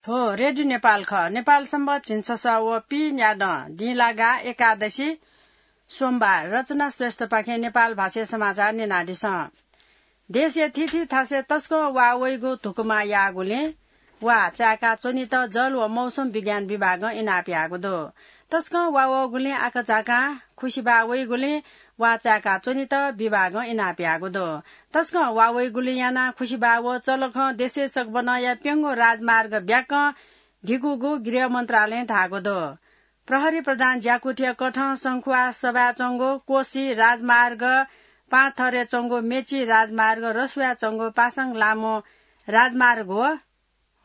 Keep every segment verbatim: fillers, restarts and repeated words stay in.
थ्व रेडियो नेपाल खः। नेपाल संवत झिंछसः व पीन्यादँ दिंलागा एकादशी सोमबार। रचना श्रेष्ठपाखें नेपाल भाषाय् समाचार न्यनादिसँ। देशया थीथी थासय् तसकं वा वइगु धुकुमा याःगुलिं वा चाय्‌का च्वनेत जल व मौसम विज्ञान विभागं इनाप याःगु दु। तसकं वा वःगुलिं आकाझाकां खुसिबा वइगुलिं वा चाय्‌का च्वनेत विभागं इनाप याःगु दु। तसकं वा वइगुलिं यानाः खुसिबा व चलखं देशय् सकबनया प्यंगू राजमार्ग ब्याकं धिकूगु गृह मन्त्रालयं धाःगु दु। प्रहरी प्रधान ज्याकुथिया कथं संखुवा सभाय् च्वंगु कोशी राजमार्ग, पाथरय् च्वंगु मेची राजमार्ग, रसुवाय् च्वंगु पासाङ लामो राजमार्ग व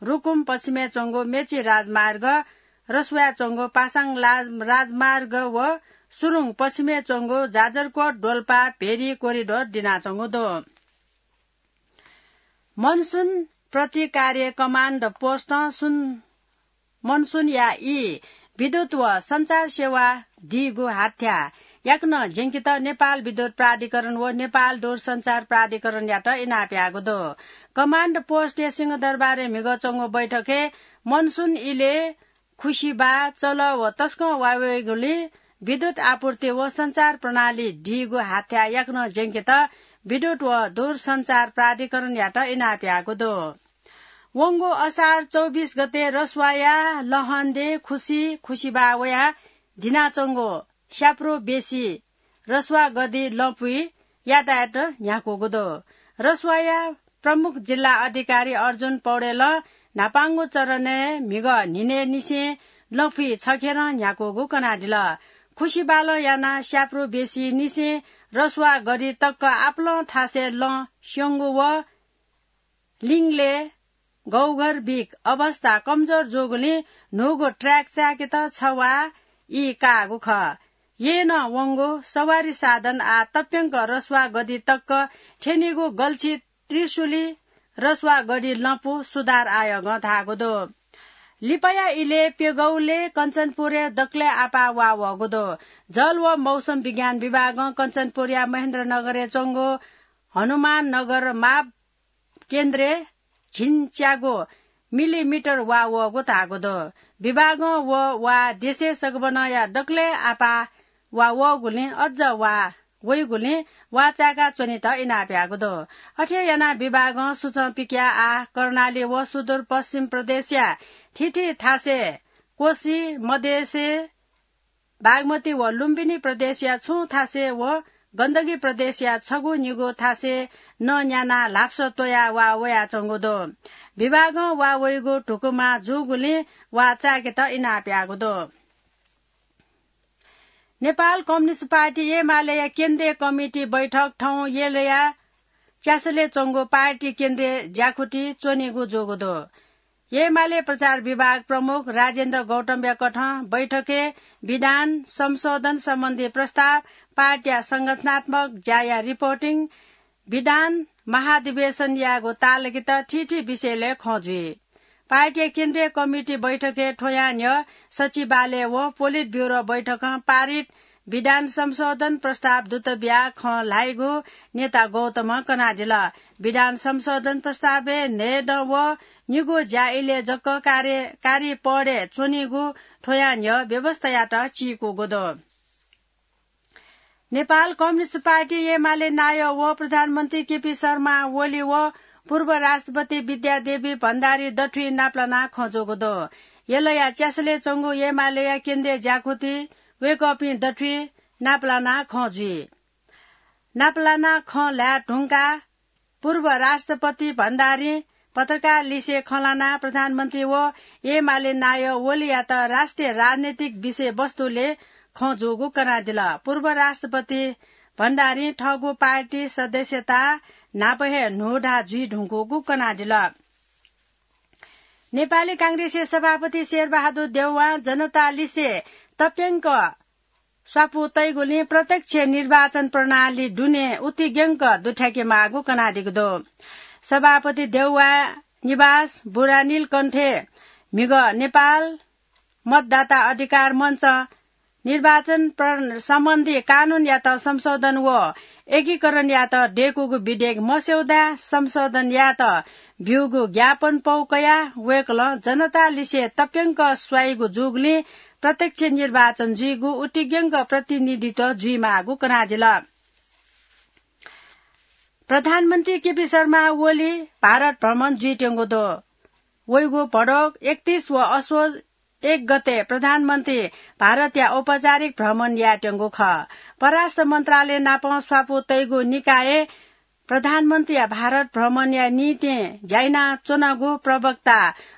रुकुम पश्चिमय् च्वंगु मेची राजमार्ग, रसुवाय् च्वंगु पासाङ लाज-, राजमार्ग व सुरुङ पश्चिमय् च्वंगु जाजरकोट डोल्पा भेरी कोरिडोर दिनाच्वंगु दु। मनसुन प्रतिकार्य कमान्ड पोस्टं सुन मनसुनया ई विद्युत व सञ्चार सेवा दीगु हाथ्या याकनं ज्यंकेत नेपाल विद्युत प्राधिकरण व नेपाल दूरसञ्चार प्राधिकरणयात इनाप याःगु दु। कमान्ड पोस्टया सिंहदरबारय् म्हिगः च्वंगु बैठकय् मनसुन इलय् खुसिबा, चल व तसकं वा वइगुलिं विद्युत आपूर्ति व सञ्चार प्रणाली दीगु हाथ्या याकनं ज्यंकेत विद्युत व दूरसञ्चार प्राधिकरणयात इनाप याःगु दु। वंगु असार चौबिस गते रसुवाया लहन्दे खुसी खुसिबा वया दिनाच्वंगु स्याप्रो बेसी रसुवा गदि लँपुइ यातायात न्ह्याकूगु दु। रसुवाया प्रमुख जिल्ला अधिकारी अर्जुन पौडेलं न्हापांगु चरणय् म्हिगः न्हिनय्‌निसें लँपुइ छखेरं न्ह्याकूगु कनादिल। खुसिबालं यानाः स्याप्रो बेसीनिसें रसुवा गदि तक आपालं थासय् लँ स्यंगु व लिङले गौघर बिक अवस्था कमजोर जूगुलिं न्हूगु ट्र्याक चाय्‌केत छवाः ई काःगु खः। येँनं वंगु सवारी साधन आः तप्यंक रसुवा गदि तक थ्यनीगु गल्छी त्रिशुली रसुवा गदि लँपु सुधार आयोगं धाःगु दु। लिपाया इलय् प्यगौले कञ्चनपुरय् दकलय् आपाः वा वःगु दु। जल व मौसम विज्ञान विभागं कञ्चनपुरया महेन्द्रनगरय् च्वंगु हनुमान नगर माप केन्द्रय् झिंच्यागु मिलिमिटर वा वःगु धाःगु दु। विभागं व वा देशय् सकबनया दकलय् आपाः वा वःगुलिं अझ वा वइगुलिं वा चाय्‌का च्वनेत इनाप याःगु दु। अथे यानाः विभागं सुचं पिकयाः आः कर्णाली व सुदूरपश्चिम प्रदेशया थीथी थासय् कोशी, मधेशय् बागमती व लुम्बिनी प्रदेशया छुं थासय् व गण्डकी प्रदेशया छगू निगू थासय् नं न्यानाः ल्हापसः त्वयाः वा वयाच्वंगु दु। विभागं वा वइगु धुकुमा जूगुलिं वा चाय्‌केत इनाप याःगु दु। नेपाल कम्युनिस्ट पार्टी एमालेया केन्द्रीय कमिटी बैठक थौं यलया च्यासलय् च्वंगु पार्टी केन्द्रीय ज्याखुति च्वनीगु जूगु दु। एमाले प्रचार विभाग प्रमुख राजेन्द्र गौतमया कथं बैठकय् विधान संशोधन सम्बन्धी प्रस्ताव, पार्टीया संगठनात्मक ज्याया रिपोर्टिङ, विधान महाधिवेशन यायेगु तालकेत थीथी विषयलय् खँ जुइ। पार्टीया केन्द्रीय कमिटी बैठकय् थ्वयां न्ह्यः सचिवालय व पोलिट ब्युरो बैठकं पारित विधान संशोधन प्रस्ताव दूत बियाः खँ ल्हाइगु नेता गौतमं कनादिल। विधान संशोधन प्रस्तावय् न्हय्दँ व निगू ज्या इलय् जक कार्य-, कारी पदय् च्वनीगु थ्वयां न्ह्यः व्यवस्थायात चीकूगु दु। नेपाल कम्युनिस्ट पार्टी एमाले नायः व प्रधानमन्त्री केपी शर्मा ओली व पूर्व राष्ट्रपति विद्यादेवी भण्डारी दथुइ नापलानाः खँ जूगु दु। यलया च्यासलय् च्वंगु एमालेया केन्द्रीय ज्याखुति वय्कःपिं दथुइ नापलानाः खँ जुइ। नापलानाः खँ ल्हाये धुंकाः पूर्व राष्ट्रपति भण्डारीं पत्रकार लिसे खँ ल्हानाः प्रधानमन्त्री व एमाले नायः ओलीयात राष्ट्रिय राजनैतिक विषयवस्तुलय् खँ जूगु कनादिल। पूर्व राष्ट्रपति भण्डारीं थःगु पार्टी सदस्यता न्हापा हे न्हूदँ जुइ धुंकूगु कनादिल। नेपाली कांग्रेसया सभापति शेरबहादुर देउवां जनता लिसे तप्यंक स्वापू तइगुलिं प्रत्यक्ष निर्वाचन प्रणाली दुने उतिग्यंक दुथ्याके माःगु कनादीगु दु। सभापति देउवा निवास बुढानीलकण्ठय् म्हिगः नेपाल मतदाता अधिकार मञ्च निर्वाचन प्र-, सम्बन्धी कानूनयात संशोधन व एकीकरणयात दय्कूगु विधेयक मस्यौदा संशोधन यायेत ब्यूगु ज्ञापन पौ कयाः वय्कलं जनता लिसे तप्यंक स्वाइगु जूगुलिं प्रत्यक्ष निर्वाचन जुइगु उतिग्यंक प्रतिनिधित्व जुइमाःगु कनादिल। प्रधानमन्त्री केपी शर्मा ओली भारत भ्रमण जुइत्यंगु दु। वइगु भदौ एकतीस व असोज एक गते प्रधानमन्त्री भारतया औपचारिक भ्रमण यायेत्यंगु खः। परराष्ट्र मन्त्रालय नाप स्वापू तइगु निकाय प्रधानमन्त्रीया भारत भ्रमणया निंतिं ज्याइनाच्वनागु प्रवक्ता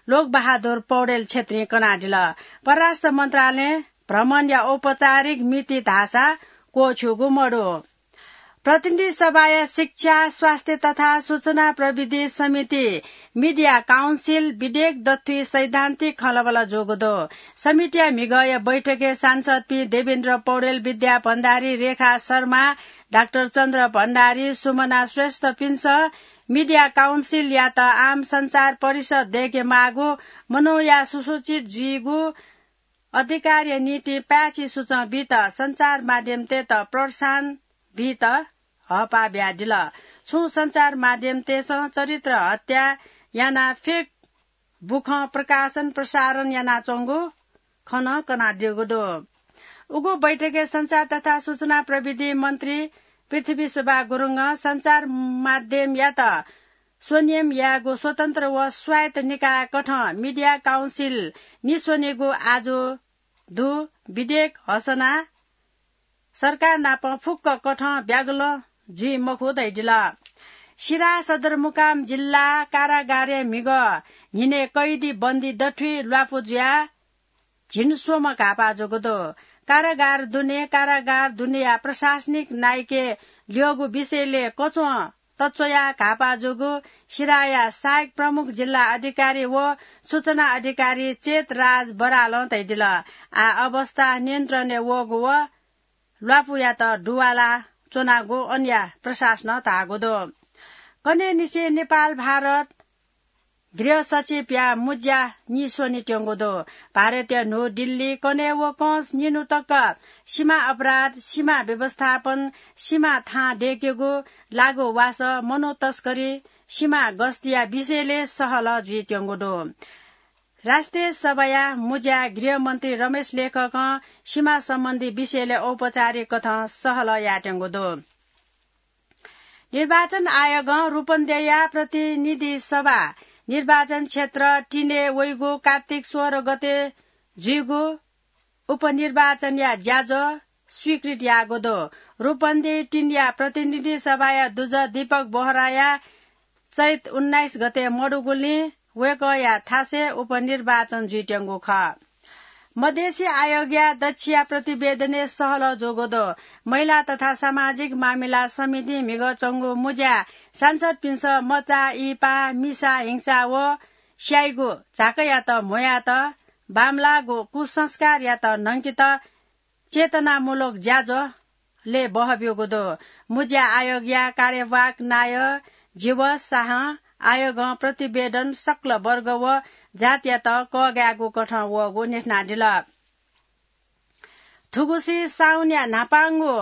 लोकबहादुर पौडेल छेत्रीं कनादिल। परराष्ट्र मन्त्रालयं भ्रमणया औपचारिक मिति धाःसा क्वःछ्यूगु मदु। प्रतिनिधि सभाया शिक्षा, स्वास्थ्य तथा सूचना प्रविधि समिति, मिडिया काउन्सिल विधेयक दथुइ सैद्धान्तिक खँल्हाबल्हा जूगु दु। समितिया म्हिगःया बैठकय् सांसदपिं देवेन्द्र पौडेल, विद्या भण्डारी, रेखा शर्मा, डाक्टर चन्द्र भण्डारी, सुमना श्रेष्ठपिन्सं मिडिया काउन्सिलयात आम सञ्चार परिषद दय्केमाःगु, मनूया सुसूचित जुइगु अधिकारया निंतिं पाय्छि सूचं बीत सञ्चार माध्यमतय्त प्रोत्साहन बीत हःपाः बियादिल। छुं सञ्चार माध्यमतय्सं चरित्र हत्या यानाः फेक बुखँ प्रकाशन प्रसारण यानाच्वंगु खँ नं कनादीगु दु। उगु बैठकय् सञ्चार तथा सूचना प्रविधि मन्त्री पृथ्वी सुब्बा गुरुङं सञ्चार माध्यमयात स्वनियम यायेगु स्वतन्त्र व स्वायत्त निकाय कथं मिडिया काउन्सिल निस्वनेगु आजु दु विधेयक हसना सरकार नाप फुक्क कथं ब्यागलं जुइ मखु धयादिल। सिराहा सदरमुकाम जिल्ला कारागारय् म्हिगः न्हिनय् कैदी बन्दी दथुइ ल्वापु जुयाः झिंस्वम्ह घाःपाः जूगु दु। कारागार दुने, कारागार दुनेया प्रशासनिक नायके ल्यःगु विषयलय् कच्वं तच्वयाः घाःपाः जूगु सिराहाया सहायक प्रमुख जिल्ला अधिकारी व सूचना अधिकारी चेत राज बरालं धयादिल। आः अवस्था नियन्त्रणय् वःगु व ल्वापुयात दुवाला च्वनागु अनया प्रशासनं धाःगु दु। कन्हय्‌निसें नेपाल भारत गृह सचिवया मुँज्या निस्वनेत्यंगु दु। भारतया न्हू दिल्ली कन्हय् व कंस निन्हु तक सीमा अपराध, सीमा व्यवस्थापन, सीमा थां दय्केगु, लागू वासः, मनू तस्करी, सीमा गस्तीया विषयलय् सहलह जुइत्यंगु दु। राष्ट्रिय सभाया मुँज्या गृहमन्त्री रमेश लेखकं सीमा सम्बन्धी विषयलय् औपचारिक कथं सहलह यायेत्यंगु दु। निर्वाचन आयोगं रूपन्देहीया प्रतिनिधि सभा निर्वाचन क्षेत्र तीनय् वइगु कार्तिक सोह्र गते जुइगु उपनिर्वाचनया ज्याझ्वः स्वीकृत याःगु दु। रूपन्देही तीनया प्रतिनिधि सभाया दुजः दीपक बोहराया चैत उन्नाइस गते मदुगुलिं वय्कःया थासय् उपनिर्वाचन जुइत्यंगु खः। मधेसी आयोगया दच्छिया प्रतिवेदनय् सहलह जूगु दु। महिला तथा सामाजिक मामिला समितिं म्हिगः च्वंगु मुँज्याय् सांसदपिन्सं मचा, इहिपा, मिसा हिंसा व स्याइगु झाँक्रीयात म्ह्वयात बांमलाःगु कुसंस्कारयात न्हंकेत चेतनामूलक ज्याझ्वलय् बहःब्यूगु दु। मुँज्या आयोगया कार्यवाहक नायः जीवस शाहं आयोगं प्रतिवेदन सकल वर्ग व जातयात कःघायेगु कथं वःगु न्ह्यथनादिल। थुगुसी साउनया न्हापांगु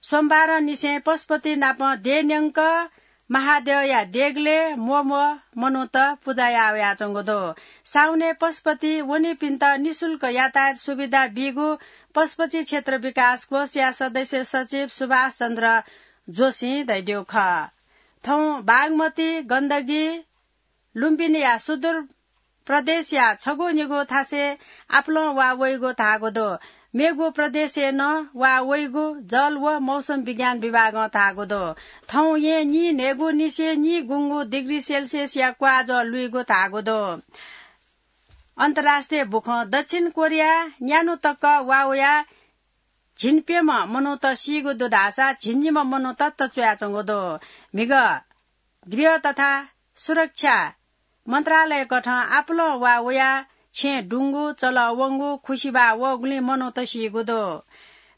सोमबारंनिसें पशुपति नाप देय् न्यंक महाद्यःया देगलय् म्वःम्वः मनूत पुजा याः वयाच्वंगु दु। साउनय् पशुपति वनीपिन्त निशुल्क यातायात सुविधा बीगु पशुपति क्षेत्र विकास कोषया सदस्य सचिव सुभाष चन्द्र जोशीं धयादीगु खः। थौं बागमती, गण्डकी, लुम्बिनीया सुदूर प्रदेशया छगू निगू थासय् आपालं वा वइगु धाःगु दु। मेगु प्रदेशय् नं वा वइगु जल व मौसम विज्ञान विभागं धाःगु दु। थौं येँ नीन्हय्गु निसें नीगुंगू डिग्री सेल्सियसया क्वाःजः लुइगु धाःगु दु। अन्तर्राष्ट्रिय बुखँ दक्षिण कोरिया न्यान्हु तक वा वयाः झिंप्यम्ह मनूत सीगु दु धाःसा झिंनिम्ह मनूत तच्वयाच्वंगु दु। म्हिगः गृह तथा सुरक्षा मन्त्रालयकथं आपालं वा वयाः छेँ दुंगु, चलः वंगु, खुसिबाः वःगुलिं मनूत सीगु दु।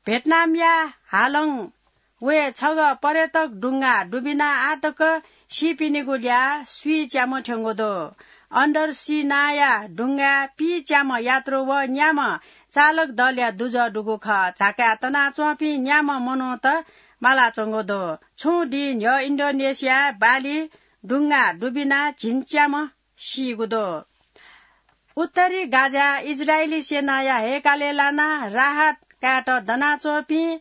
भियतनामया हालोङ वये छगः पर्यटक डुंगा डुबिनाः आःतक सीपिनिगु ल्याः स्वीच्याम्ह थ्यंगु दु। अन्डर सी नांया डुंगाय् पीच्याम्ह यात्रु व न्याम्ह चालक दलया दुजः दुगु खः। झाकाय् तनाच्वंपिं न्याम्ह मनूत मालाच्वंगु दु। छुं दिं न्ह्यः इन्डोनेसियाय् बाली डुंगा दुबिना झिंच्याम्ह सीगु दु। उत्तरी गाजा इजरायली सेनाया हैकालय् लानाः राहत कायेत दनाच्वंपिं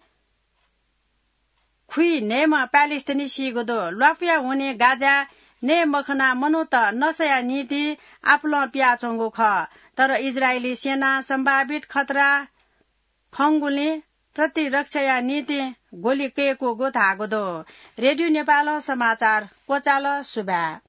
खुइन्हय्म्ह प्यालेस्टिनी सीगु दु। ल्वापुया हुनिं गाजा नये मखनाः मनूत नसाया निंतिं आपुलं पियाच्वंगु खः। तर इजरायली सेनां सम्भावित खतरा खंगुलिं प्रतिरक्षाया निंतिं गोली कय्कूगु धाःगु दु। रेडियो नेपालं समाचार क्वचाल। सुभाय्।